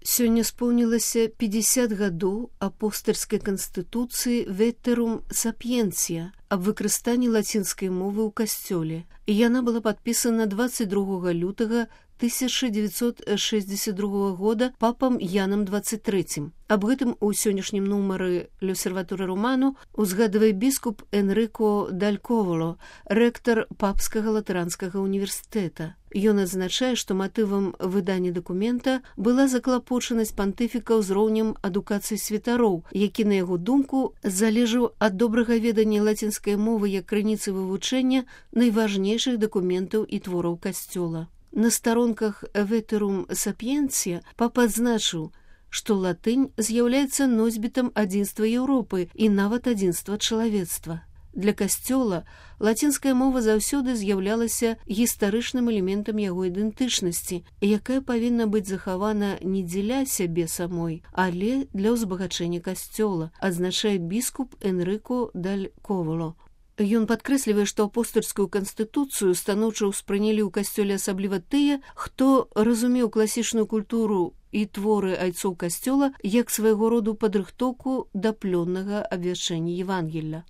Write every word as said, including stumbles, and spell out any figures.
Сёння споўнілася пятьдесят гадоў апостальскай канстытуцыі Veterum Sapientia аб выкарыстанні лацінскай мовы ў касцёле, і яна была падпісана двадцать другога лютага тысяча девятьсот шестьдесят другого года папам Янам двадцать третьим. Аб гэтым у сённяшнім нумары L'Osservatore Romano узгадвае біскуп Энрыко даль Ковало, рэктар папскага латаранскага універсітэта. Ён адзначае, што матывам выдання дакумента была заклапочанасць пантыфіка ўзроўнем адукацыі святароў, які, на яго думку, залежаў ад добрага ведання лацінскай мовы як крыніцы вывучэння найважнейшых дакументаў і твораў касцёла. На старонках Veterum Sapientia папа адзначыў, што латынь з'яўляецца носьбітам адзінства Еўропы і нават адзінства чалавецтва. Для касцёла лацінская мова заўсёды з'яўлялася гістарычным элементам яго ідэнтычнасці, якая павінна быць захавана не дзеля сябе самой, але для ўзбагачэння касцёла, адзначае біскуп Энрыко даль Ковало. Ён падкрэслівае, што апостальскую канстытуцыю станоўча ўспрынялі ў касцёле асабліва тыя, хто разумеў класічную культуру і творы айцоў касцёла як свайго роду падрыхтоўку да плённага абвяшчэння Евангелля.